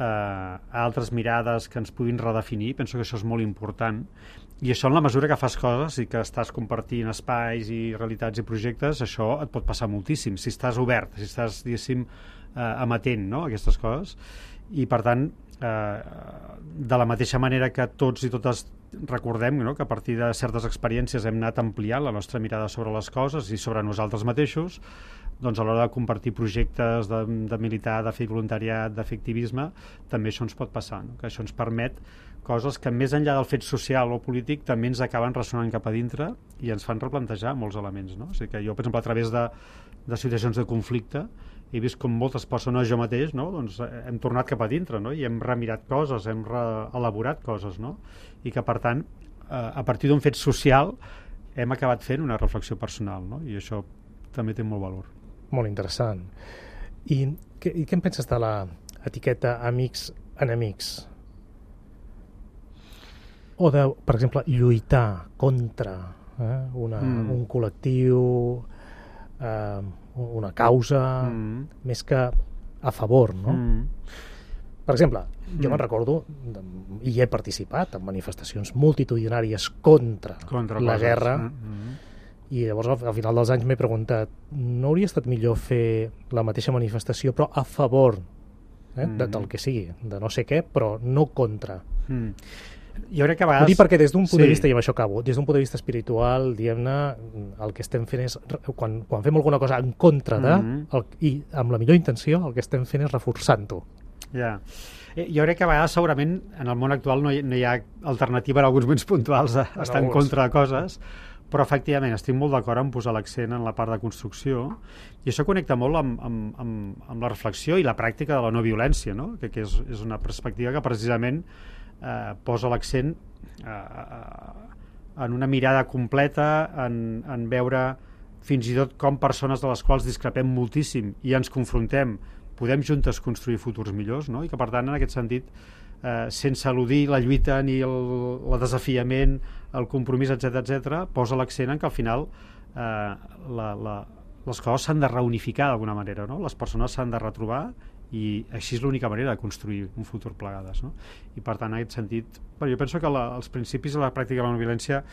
uh, a altres mirades que ens puguin redefinir, penso que això és molt important, i això en la mesura que fas coses i que estàs compartint espais i realitats i projectes, això et pot passar moltíssim, si estàs obert, si estàs, diguéssim, eh, amatent, no?, a aquestes coses. I per tant, eh, de la mateixa manera que tots i totes recordem, no?, que a partir de certes experiències hem anat ampliant la nostra mirada sobre les coses i sobre nosaltres mateixos, doncs a l'hora de compartir projectes, de, de militar, de fer voluntariat, de fer activisme, també això ens pot passar, no?, que això ens permet coses que més enllà del fet social o polític també ens acaben ressonant cap a dintre i ens fan replantejar molts elements, no? O sigui que jo, per exemple, a través de, de situacions de conflicte he vist com moltes persones, jo mateix, no?, doncs hem tornat cap a dintre, no?, i hem remirat coses, hem reelaborat coses, no?, i que per tant a partir d'un fet social hem acabat fent una reflexió personal, no?, i això també té molt valor. Molt interessant. I, que, i què en penses de l'etiqueta amics-enemics? O de, per exemple, lluitar contra eh, una, mm. un col·lectiu, eh, una causa, mm. més que a favor, no? Mm. Per exemple, jo mm. me'n recordo, i he participat en manifestacions multitudinàries contra, contra la coses. guerra, mm-hmm. i llavors al, al final dels anys m'he preguntat, no hauria estat millor fer la mateixa manifestació però a favor eh, mm. de, del que sigui, de no sé què, però no contra. Mm. Jo crec que a vegades... Ho dic perquè des d'un punt sí. de vista, i amb això acabo, des d'un punt de vista espiritual, diguem-ne, el que estem fent és, quan, quan fem alguna cosa en contra de, mm-hmm. el, i amb la millor intenció, el que estem fent és reforçant-ho. Ja. Jo crec que a vegades segurament en el món actual no hi, no hi ha alternativa en alguns moments puntuals a, a estar en contra de coses, però efectivament estic molt d'acord en posar l'accent en la part de construcció, i això connecta molt amb, amb, amb, amb la reflexió i la pràctica de la no violència, no? que, que és, és una perspectiva que precisament eh, posa l'accent eh, en una mirada completa, en, en veure fins i tot com persones de les quals discrepem moltíssim i ens confrontem podem juntes construir futurs millors, no? I que per tant en aquest sentit eh, sense eludir la lluita ni el, el desafiament, el compromís, etcètera etcètera, posa l'accent en que al final eh, la, la, les coses s'han de reunificar d'alguna manera, no? Les persones s'han de retrobar i així és l'única manera de construir un futur plegades, no? I per tant en aquest sentit, bueno, jo penso que la, els principis de la pràctica de la no violència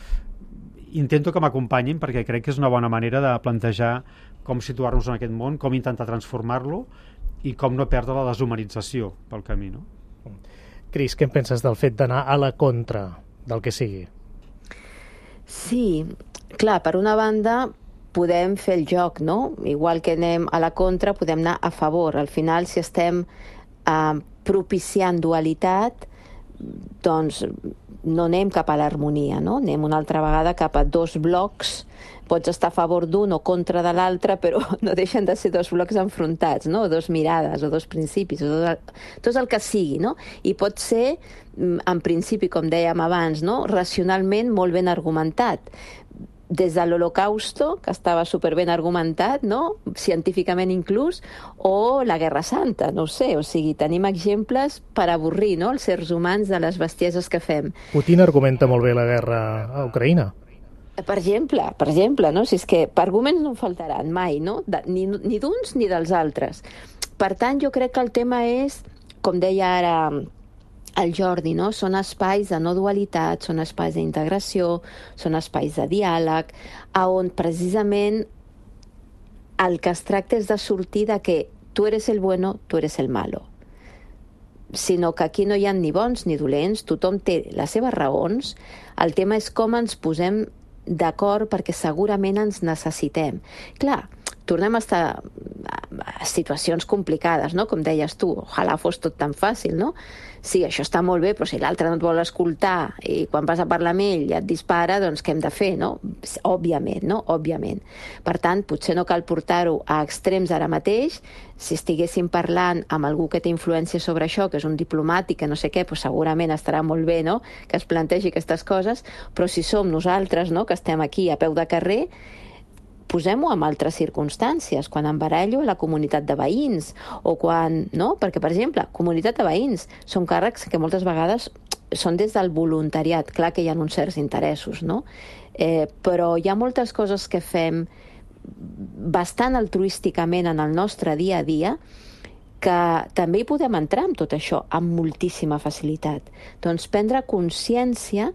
intento que m'acompanyin perquè crec que és una bona manera de plantejar com situar-nos en aquest món, com intentar transformar-lo i com no perdre la deshumanització pel camí, no? Cris, què en penses del fet d'anar a la contra del que sigui? Sí, clar, per una banda podem fer el joc, no? Igual que anem a la contra, podem anar a favor. Al final, si estem eh, propiciant dualitat, doncs no anem cap a l'harmonia, no? Anem una altra vegada cap a dos blocs. Pots estar a favor d'un o contra de l'altre, però no deixen de ser dos blocs enfrontats, no? O dos mirades, o dos principis, o dos, tot el que sigui, no? I pot ser, en principi, com dèiem abans, no? Racionalment molt ben argumentat. Des de l'Holocausto, que estava superben argumentat, no? Científicament inclús, o la Guerra Santa, no ho sé, o sigui, tenim exemples per avorrir, no? Els éssers humans de les bestieses que fem. Putin argumenta molt bé la guerra a Ucraïna. Per exemple, per exemple, no? Si és que arguments no en faltaran mai, no? De, ni ni d'uns ni dels altres. Per tant, jo crec que el tema és, com deia ara el Jordi, no? Són espais de no dualitat, són espais d'integració, són espais de diàleg, on precisament el que es tracta és de sortir de que tu eres el bueno, tu eres el malo. Sinó que aquí no hi ha ni bons ni dolents, tothom té les seves raons, el tema és com ens posem d'acord perquè segurament ens necessitem. Clar, tornem a estar a situacions complicades, no? Com deies tu, ojalà fos tot tan fàcil, no? Sí, això està molt bé, però si l'altre no et vol escoltar i quan vas a parlar amb ell ja et dispara, doncs què hem de fer, no? Òbviament, no? Òbviament. Per tant, potser no cal portar-ho a extrems ara mateix. Si estiguéssim parlant amb algú que té influència sobre això, que és un diplomàtic, que no sé què, doncs segurament estarà molt bé, no?, que es plantegi aquestes coses, però si som nosaltres, no?, que estem aquí a peu de carrer, posem-ho en altres circumstàncies, quan em barallo a la comunitat de veïns, o quan, no? Perquè, per exemple, comunitat de veïns són càrrecs que moltes vegades són des del voluntariat, clar que hi ha uns certs interessos, no? Eh, però hi ha moltes coses que fem bastant altruísticament en el nostre dia a dia que també hi podem entrar amb tot això amb moltíssima facilitat. Doncs prendre consciència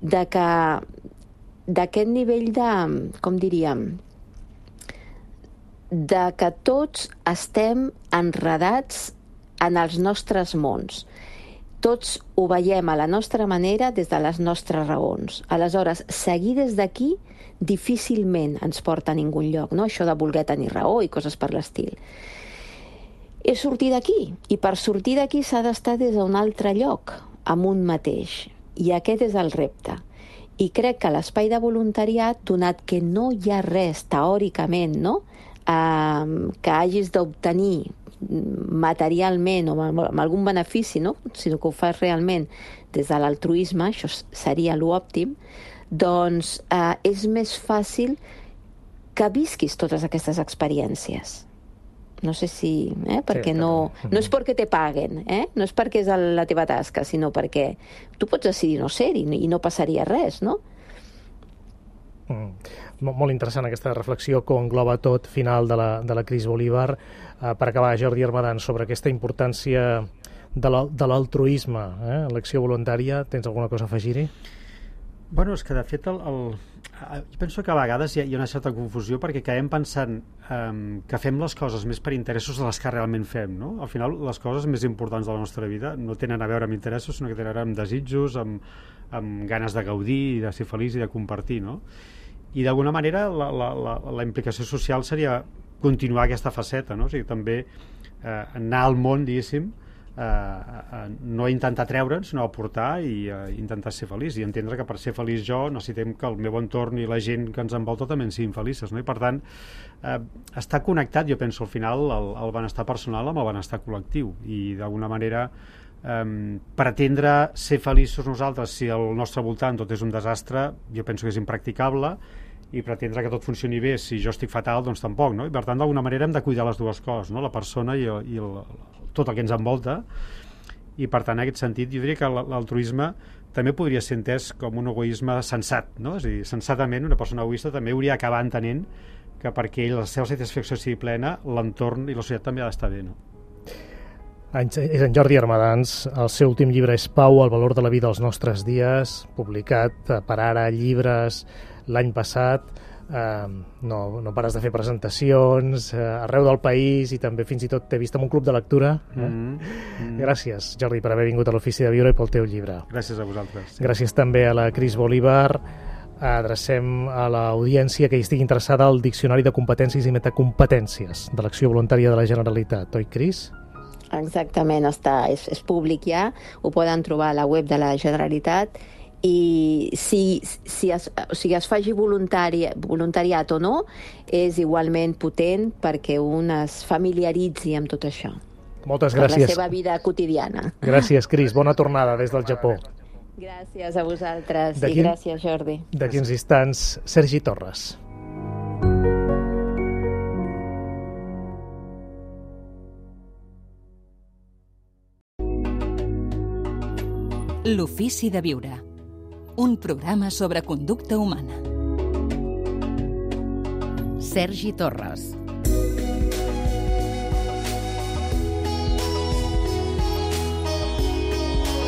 de que d'aquest nivell de, com diríem, de que tots estem enredats en els nostres mons. Tots ho veiem a la nostra manera des de les nostres raons. Aleshores, seguir des d'aquí difícilment ens porta a ningú lloc, no? Això de voler tenir raó i coses per l'estil. És sortir d'aquí, i per sortir d'aquí s'ha d'estar des d'un altre lloc, amb un mateix. I aquest és el repte. I crec que l'espai de voluntariat, donat que no hi ha res teòricament, no?, eh, que hagis d'obtenir materialment o amb algun benefici, no?, sinó que ho fas realment des de l'altruisme, això seria l'òptim, doncs eh, és més fàcil que visquis totes aquestes experiències. No sé si... Eh, perquè sí, no, no és perquè te paguen, eh? No és perquè és la teva tasca, sinó perquè tu pots decidir no ser-hi i no passaria res, no? Mm. Molt interessant aquesta reflexió que engloba tot final de la, de la Cris Bolívar. Uh, per acabar, Jordi Armadan, sobre aquesta importància de l'altruisme, eh? l'acció voluntària. Tens alguna cosa a afegir-hi? Bueno, és que de fet el, el, jo penso que a vegades hi ha, hi ha una certa confusió perquè acabem pensant um, que fem les coses més per interessos de les que realment fem, no? Al final les coses més importants de la nostra vida no tenen a veure amb interessos, sinó que tenen a veure amb desitjos, amb, amb ganes de gaudir, de ser feliç i de compartir, no? I d'alguna manera la, la, la, la implicació social seria continuar aquesta faceta, no? O sigui, també eh, anar al món, diguéssim, Uh, uh, no intentar treure'ns, sinó aportar i uh, intentar ser feliç i entendre que per ser feliç jo necessitem que el meu entorn i la gent que ens envolta també en siguin felices, no? I per tant uh, està connectat, jo penso, al final el, el benestar personal amb el benestar col·lectiu i d'alguna manera um, pretendre ser feliços nosaltres si al nostre voltant tot és un desastre, jo penso que és impracticable, i pretendre que tot funcioni bé si jo estic fatal, doncs tampoc, no? I per tant d'alguna manera hem de cuidar les dues coses, no? La persona i, el, i el, tot el que ens envolta, i per tant en aquest sentit jo diria que l'altruisme també podria ser entès com un egoisme sensat, no? És a dir, sensatament una persona egoista també hauria d'acabar entenent que perquè ell la seva satisfacció sigui plena, l'entorn i la societat també ha d'estar bé, no? És en Jordi Armadans, el seu últim llibre és Pau, el valor de la vida als nostres dies, publicat per Ara Llibres l'any passat. Uh, no, no pares de fer presentacions uh, arreu del país i també fins i tot t'he vist en un club de lectura. Eh? Mm -hmm. Gràcies, Jordi, per haver vingut a l'Ofici de Viure i pel teu llibre. Gràcies a vosaltres. Sí. Gràcies també a la Cris Bolívar. Adrecem a l'audiència que hi estigui interessada al Diccionari de Competències i Metacompetències de l'Acció Voluntària de la Generalitat. Oi, Cris? Exactament, està, és, és públic ja, ho poden trobar a la web de la Generalitat. I si, si, es, o sigui, es faci voluntari, voluntariat o no, és igualment potent perquè un es familiaritzi amb tot això. Moltes gràcies. Per la seva vida quotidiana. Gràcies, Cris. Bona tornada des del Japó. Gràcies a vosaltres i gràcies, Jordi. D'aquí uns instants, Sergi Torres. L'Ofici de Viure. Un programa sobre conducta humana. Sergi Torres.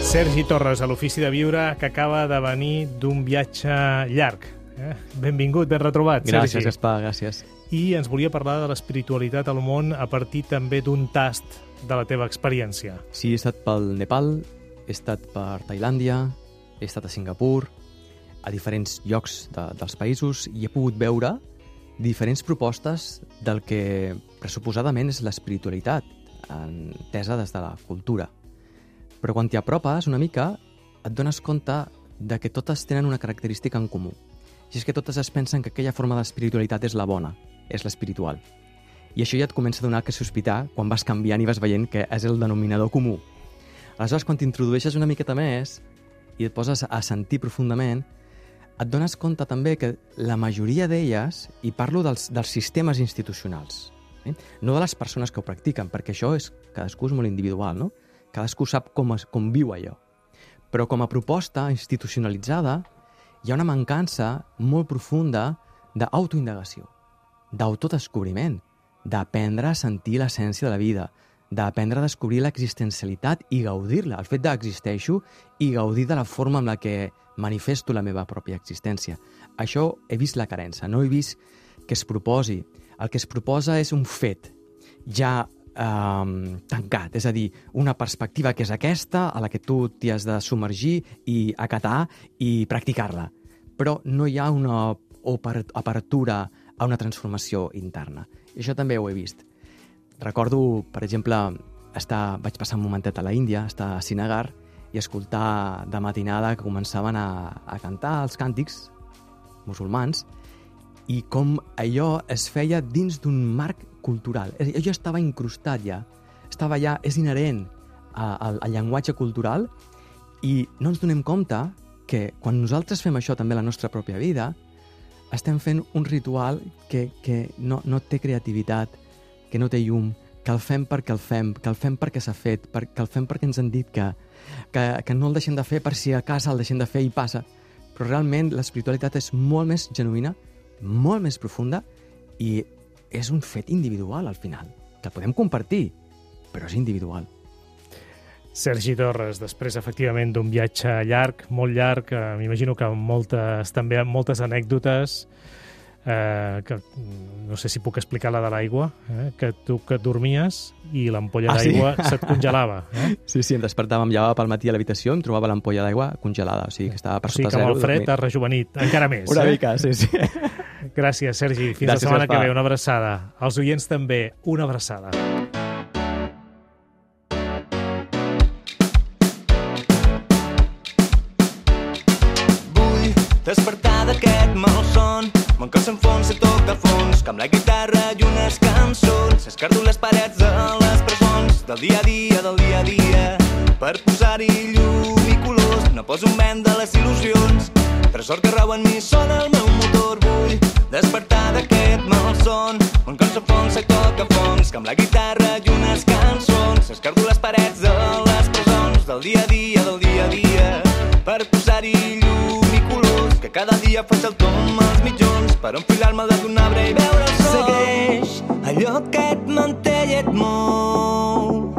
Sergi Torres, a l'Ofici de Viure, que acaba de venir d'un viatge llarg. Eh? Benvingut, ben retrobat, Sergi. Gràcies, Gaspar, gràcies. I ens volia parlar de l'espiritualitat al món a partir també d'un tast de la teva experiència. Sí, he estat pel Nepal, he estat per Tailàndia, he estat a Singapur, a diferents llocs de, dels països, i he pogut veure diferents propostes del que pressuposadament és l'espiritualitat, entesa des de la cultura. Però quan t'hi apropes una mica, et dones compte de que totes tenen una característica en comú. I és que totes es pensen que aquella forma d'espiritualitat és la bona, és l'espiritual. I això ja et comença a donar que sospitar quan vas canviant i vas veient que és el denominador comú. Aleshores, quan t'introdueixes una miqueta més i et poses a sentir profundament, et dones compte també que la majoria d'elles, i parlo dels, dels sistemes institucionals, eh? no de les persones que ho practiquen, perquè això és, cadascú és molt individual, no? Cadascú sap com, es, com viu allò. Però com a proposta institucionalitzada, hi ha una mancança molt profunda d'autoindagació, d'autodescobriment, d'aprendre a sentir l'essència de la vida, d'aprendre a descobrir l'existencialitat i gaudir-la, el fet d'existeixo i gaudir de la forma amb la que manifesto la meva pròpia existència. Això he vist la carença, no he vist que es proposi. El que es proposa és un fet ja eh, tancat, és a dir, una perspectiva que és aquesta, a la que tu t'hi has de submergir i acatar i practicar-la. Però no hi ha una apertura a una transformació interna. I això també ho he vist. Recordo, per exemple, estar, vaig passar un momentet a la Índia, estar a Srinagar, i escoltar de matinada que començaven a, a cantar els càntics musulmans i com allò es feia dins d'un marc cultural. Allò estava incrustat ja, estava ja, és inherent a, a, al llenguatge cultural, i no ens donem compte que quan nosaltres fem això també a la nostra pròpia vida, estem fent un ritual que, que no, no té creativitat, que no té llum, que el fem perquè el fem, que el fem perquè s'ha fet, que el fem perquè ens han dit que, que, que no el deixem de fer per si a casa el deixem de fer i passa. Però realment l'espiritualitat és molt més genuïna, molt més profunda, i és un fet individual al final, que podem compartir, però és individual. Sergi Torres, després, efectivament, d'un viatge llarg, molt llarg, eh, m'imagino que amb moltes, també amb moltes anècdotes, eh, que no sé si puc explicar la de l'aigua, eh, que tu que dormies i l'ampolla Ah, sí? d'aigua se't congelava. Eh? Sí, sí, em despertava, em llevava pel matí a l'habitació, em trobava l'ampolla d'aigua congelada, o sigui que estava per O sigui sota que amb zero. el fred dormint. has rejuvenit, encara més. Una eh? mica, sí, sí. Gràcies, Sergi. Fins Gràcies, la setmana Gaspar. que ve. Una abraçada. Als oients també, una abraçada. Vull despertar d'aquest malson, mon cos s'enfonsa i toca fons, que amb la guitarra i unes cançons escardo les parets de les presons del dia a dia, del dia a dia, per posar-hi llum i colors. No poso en venda les il·lusions, tresor que rau en mi sona el meu motor. Vull despertar d'aquest malson, mon cos s'enfonsa i toca fons, que amb la guitarra i unes cançons escardo les parets de les presons del dia a dia, del dia a dia, per posar-hi llum i colors, que cada dia faig el tom als mitjons per enfilar-me al d'un arbre i veure el sol. Segueix allò que et manté i et mou,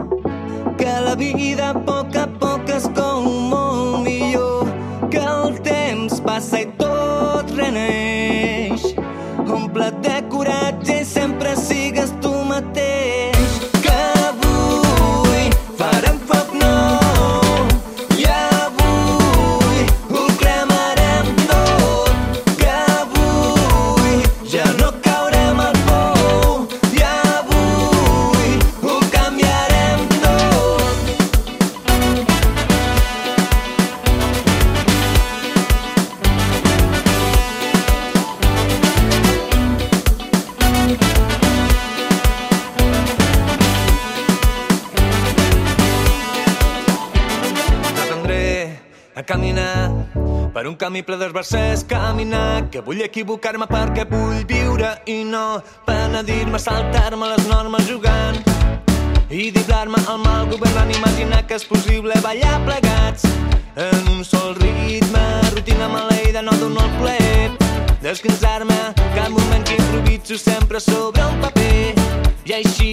que la vida a poc a poc es cou molt millor, que el temps passa i tot reneix. Omple't de coratge i sempre sigues tu mateix, que avui farem foc nou i avui ho cremarem tot, que avui ja no caurem al pou i avui ho canviarem tot. Aprendré a caminar per un camí ple d'esbarzers, caminar, que vull equivocar-me perquè vull viure i no penedir-me, saltar-me les normes jugant i diblar-me al mal governant, imaginar que és possible ballar plegats en un sol ritme, rutina maleïda, no dono el ple, descansar-me cada moment que improviso sempre sobre un paper i així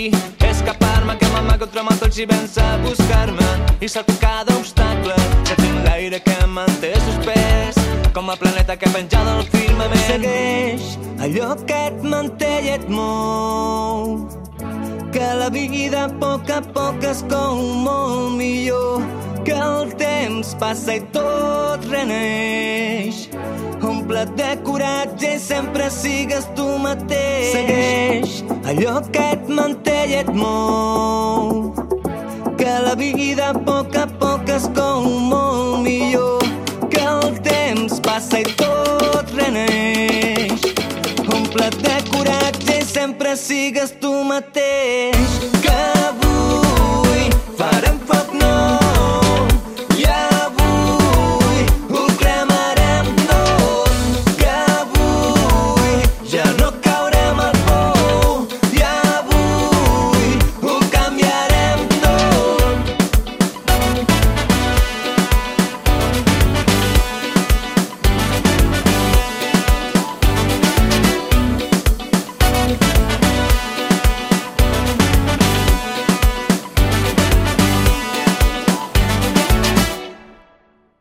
escapar-me, que m'amago entre tots i vèncer a buscar-me i salto cada obstacle, sentint l'aire que em manté suspès com a planeta que penja del firmament. Segueix allò que et manté i et mou, que la vida a poc a poc es cou molt millor, que el temps passa i tot reneix. Omple't de coratge i sempre sigues tu mateix. Segueix allò que et manté i et mou, que la vida a poc a poc es cou molt millor, que el temps passa i tot reneix. Omple't de coratge i sempre sigues tu mateix.